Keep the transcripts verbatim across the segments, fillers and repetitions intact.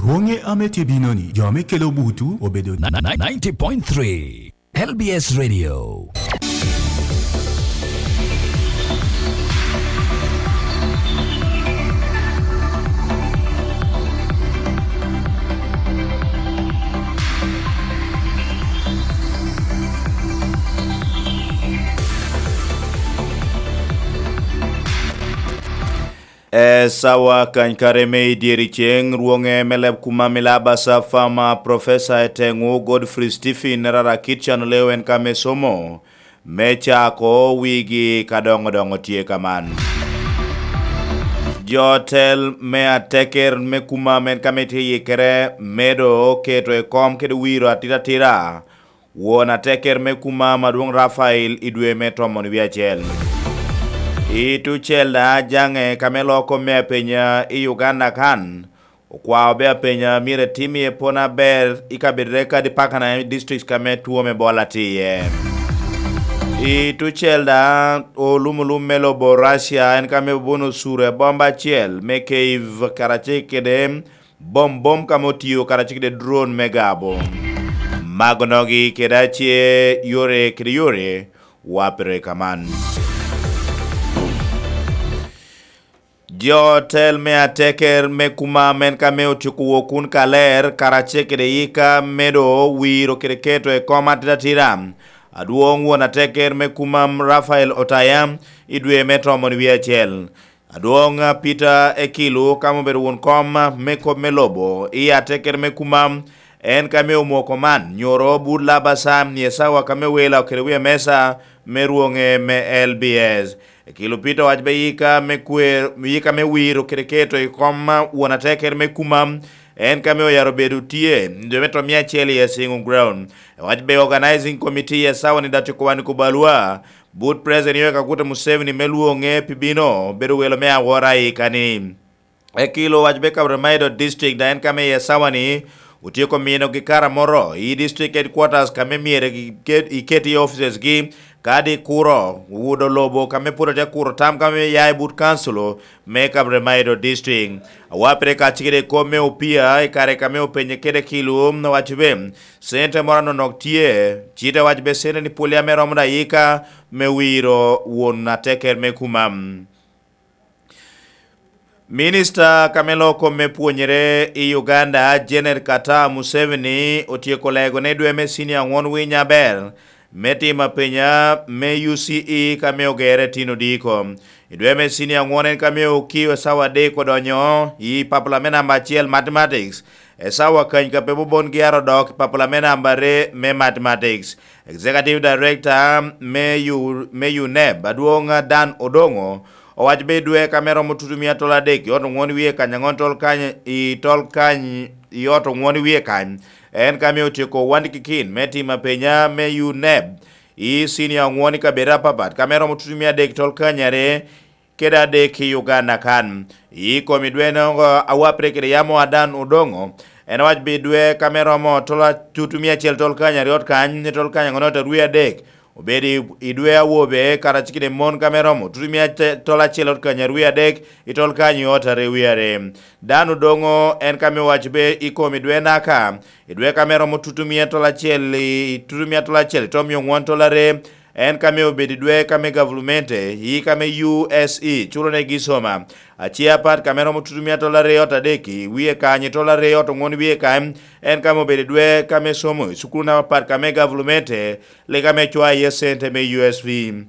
Pwoŋe ame tye bino ni, jo ame kelo butu obedo ninety point three L B S Radio. Esawa kany kare me i dyeri ceŋ, rwoŋe me leb kuma milaba Safama, Professor Eteŋu Godfrey Stephen Rara Kitchen Leo en ka me somo, me cako wigi ka doŋo doŋo tye kaman. Jo tel me ateker me kuma men ka me tye yikere medo keto i kom kede wiro atira atira, won ateker me kuma madwong Rafael i dwe me tomon wie acel. I tucel da jaŋe ka me loko me apenya i Uganda kan, okwao be apenya myero etim iye pwony aber i kabedo kadi pakana i district ka me two me Ebola tye iye. I tucel da olum olum me lobo Russia en ka me obuno osuro i bomba acel me Kyiv karacel kede bom bom ka me otiyo karacel kede drone me gabo. Magonogi kede ace yore kede yore wapere kaman. Jo tel me ateker me kuma men ka me otyeko wok kun kaler karacel kede yika medo wiro kede keto i kom atira atira. Adwoŋ won ateker me kuma Rafael Otaya i dwe me tomon wie acel. Adwoŋ Peter Ekilu ka me obedo won kom me kop me lobo i ateker me kuma en ka me omoko man nyoro but labasa i esawa ka me wela kede wie mesa me rwoŋe me L B S. Ekilu Peter owaco be yika me kwer, yika me wiro kede keto i kom won ateker me kuma en ka me oyaro bedo tye i dwe me tomia acel i Asingo Ground. Owaco be organizing committee i esawa ni dati kowani ko balwa but President Yoweri Kaguta Museveni me lwoŋe pi bino bedo welo me awora i kani. Ekilo owaco be Kaberamaido District da en ka me i esawa ni otyeko minogi kara moro i District Headquarters ka me myero iket, iket i offices gi kadi kuro wudo lobo ka me pwod atye kuro tam ka me ya i but council me Kaberamaido District. Awapere kacel kede kop me opia i kare ka me openye kede Ekilo owaco be cente moro anonok tye, cite owaco be cente ni pwolli ame romo da yika me wiro won ateker me kuma. Minista ka me loko me pwonyere i Uganda, Janet Kata Museveni, otyeko lego ni dwe me cinia aŋwon winy aber me timo apenya me U C E ka me ogere tin odiko. I dwe me cinia aŋwon en ka me okio sawa adek odonyo i papula me namba acel Mathematics, esawa kany ka pe bobon gyaro dok i papula me namba aryo me Mathematics. Executive Director me U-, me U neb, adwoŋ Dan Odongo, owaco be dwe ka me romo tutumia tol adek i ot oŋwon wie kany aŋon tol kany i tol kany i ot oŋwon wie kany. En ka me otyeko wandi kikin me timo apenya me U neb i cinia oŋwon i kabedo apapat ka me romo tutumia adek tol kany are kede adek i Uganda kan. I kom idweno a wapre kede yamo Adan Odongo, en owaco bi dwe ka me romo tol a-, tutu mia acel tol kany aryo kany, tol kany aŋwen ot arwi adek, obedo i, i dwe awobe karacel kede mon ka me romo tutu mia ace-, tol acel ot kany arwi adek, i tol kany ot arwi are. Dan Odongo en ka me owaco be i kom idwe naka, i dwe ka me romo tutu mia tol acel i, tutu mia tol acel i tom mia oŋwen tol are, en ka me obedo i dwe ka me gavulumente, i ka me U S E, culo ne gi soma. Ace apat ka me romo tutu mia tol aryo ot adek, i wie kany tol aryo ot oŋwen wie kany, en ka me obedo i dwe ka me somo i cukulu namba apat ka me gavulumente, le ka me cwa iye cente me U S V.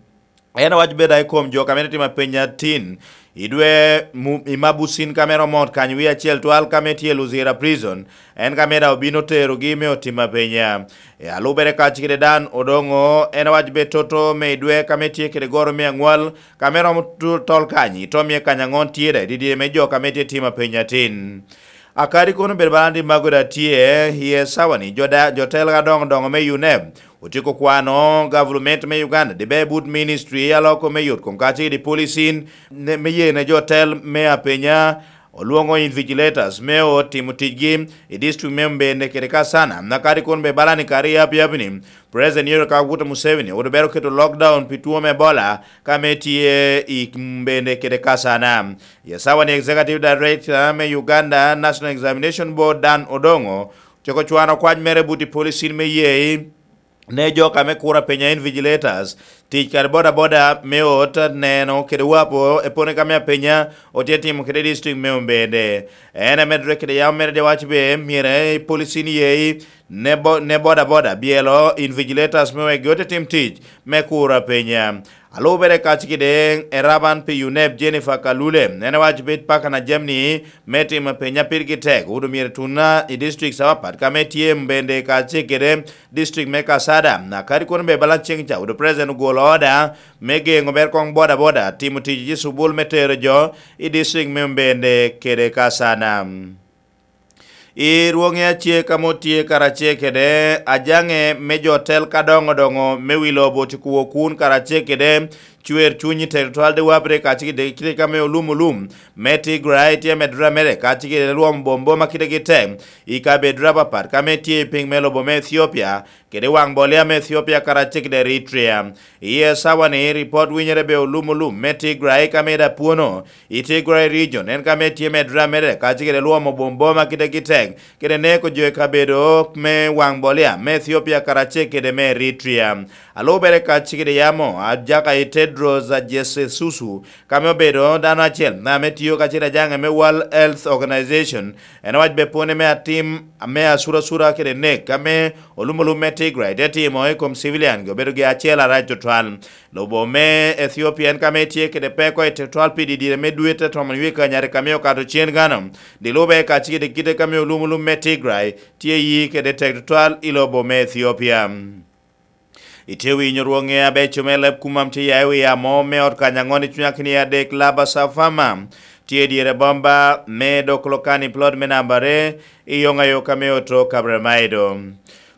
En owaco beda i kom jo ka me timo apenya tin, i dwe mu-, i Mabusin ka me romo ot kany wie acel twal ka me tye Luzira Prison, en ka me daŋ obino terogi me otimo apenya. E alubere kacel kede Dan Odongo, en owaco be toto me i dwe ka me tye kede goro me aŋwal, ka me romo tu-, tol kany, i tom mia kany aŋon tye daŋ i didye me jo ka me tye timo apenya tin. Akadi kono bedo bala ni mago daŋ tye, i esawa ni jo da-, jo tela adoŋo doŋo me U neb, otyeko kwano gavulument me Uganda, dibe but ministry a loko me yot kom kacel kede policing, ne, me ye ne jo tel me apenya, Olwoŋo invigilators me ot timo ticgi i district me Mbende kede Kasana, na kadi kun be balani kare i apiapi-ni, President Yoweri Kaguta Museveni owoto bero keto lockdown pi two me Ebola ka me tye i Mbende kede Kasana. I acawa-ni, Executive Director me Uganda National Examination Board, Dan Odongo, ocako cwano kwac mere but i policin me yee ne jo ka me kura penya, invigilators, tic kare bodaboda me ot neno kede wapo epone ka me apenya otye timo kede district me Ombende. En amedde kede yam mere de waco be myero policin yee ne bo-, ne bodaboda byelo invigilators me wek giote tim tic me kura penya. Alubere kacikede eraban pi UNEB, Jennifer Kalule, en awaco bed paka na jamni me timo penya pirgi tek, odo myero tuna i districts apapat ka me tye Mbende kacikede district me Kasada. Na kadi kono be bala ceng ca, odo president ogolo order me geŋo ber koŋ bodaboda timo tic i cubul me tero jo i district me Mbende kede Kasana. I rwoŋe ace ka mot tye karacel kede ajaŋe me jo tel ka doŋo doŋo me wi lobo tye kuwo kun karacel kede cwer cuny i tero twal de wapre kacikede kite ka me olum olum me Tigray tye medore mere kacikede lwom bom boma kitegi tek i kabedo apapat ka me tye i piny me lobo me Ethiopia kede waŋ bolia me Ethiopia karacel kede Eritrea. I acawa-ni, ripot winyere be olum olum me Tigray ka me da pwono i Tigray region, en ka me tye medore amedde kacel kede lwomo bom boma kitegi tek kede neko jo i kabedo me waŋ bolia me Ethiopia karacel kede me Eritrea. Alubere kacel kede yamo ajaka i Tedros Adhanom Ghebreyesus, ka me obedo dano acel ame tio kacel ajaŋe me World Health Organization, en owac be pwone me atim me asurasura kede nek ka me olum olum me Tigray te timo i kom civilian-gi obedo gi acel arac tutwal. Lobo me Ethiopia en ka me tye kede peko i tutwal pi didire me dwe te tomon wie kanyari ka me okato cen gano. Di lube kacel kede kite ka me olum olum me Tigray tye yi kede tek tutwal i lobo me Ethiopia. Itye winyo rwoŋe abeco me leb kumam tye ya i wi amo me ot kany aŋon i cuny akini adek Laba Safama. Tye i dyere bomba me dok lokani plot me namba are i yoŋ ayo ka me oto Kabremaido.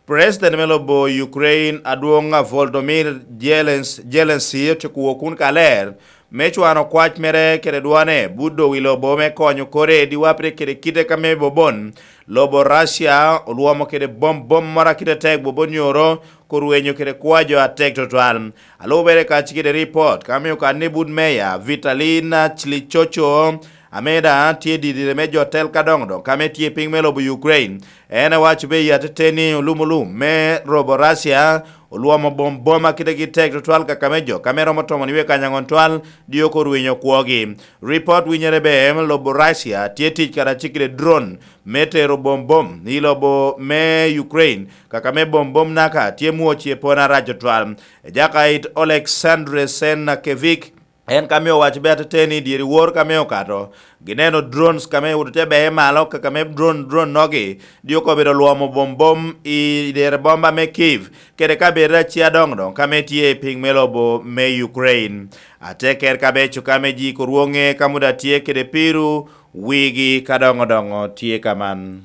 President me lobo Ukraine adwoŋ a Volodymyr Zelens-, Zelensky otyeko wok kun kaler me cwano kwac mere kede dwane but doŋ i lobo me konyo kore diwapre kede kite ka me bobon. Lobo Russia olwomo kede bom bom moro akite tek bobon nyoro korwenyo kede kwa jo atek tutwal. Alubere kacel kede ripot ka me okanni but meya Vitalina Chlichocho, ame daŋ tye didire me jo tel ka doŋ doŋ ka me tye piny me lobo Ukraine. En awaco be i ateteni olum olum me lobo Russia olwomo bom boma kitegi tek tutwal kaka me jo ka me romo tomon wie kany aŋon twal dyoko orwinyo kwogi. Ripot winyere be lobo Russia tye tic kara cikide drone me tero bom bom i lobo me Ukraine kaka me bom bom naka tye mwoc i pona rac tutwal. Ejaka it Oleksandr Senakevich, en ka me owaco be ateteni dyeri wor ka me okato, gineno drones ka me ote beye malo kaka me drone, drone nogi dyoko obedo lwomo bom bom i dere bomba me Kiev kede kabedo aci adoŋ doŋ ka me tye i piny me lobo me Ukraine. Ateker kabeco ka me ji korwoŋe ka muda tye kede piru wigi ka doŋo doŋo tye kaman.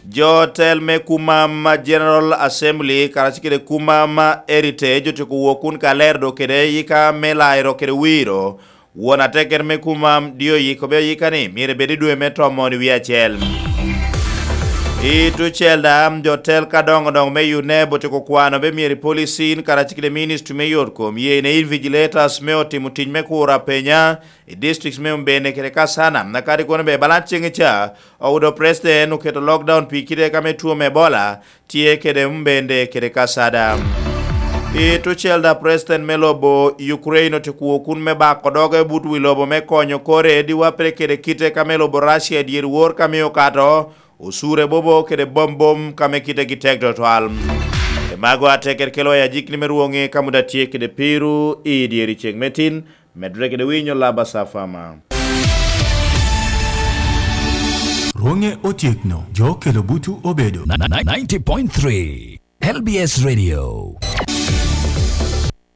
Jo tel me kumam General Assembly karacel kede kumam Heritage otyeko wok kun ka ler do kede yika me lairo kede wiro. Won ateker me kumam dio yiko be oyika ni myero ebed i dwe me tomon i wie acel. I tucel da, jo tel ka doŋo doŋo me UNEB otyeko kwano be myero i policin karacel kede ministry me yot kom ye ne invigilators me otimo tic me kuro apenya i districts me Umbende kede Kasana, na kadi kono be balan ceng ca, ogudo president oketo lockdown pi kite ka me two me Ebola tye kede Umbende kede Kasada. I tucel da president me lobo Ukraine otyeko kun me bako doge but wi lobo me konyo kore diwapre kede kite ka me lobo Russia i dyeri wor ka me okato, osure bobo kede bom bom ka me kite gi tek tutwal. E mago ateker kelo ya jikni me rwoŋi ka muda tye kede piru i dyeri ceng me tin, medre kede winyo laba safama. Rwoŋe otyekno, jo kelo butu obedo. Ni-, ni-, ninety point three L B S Radio.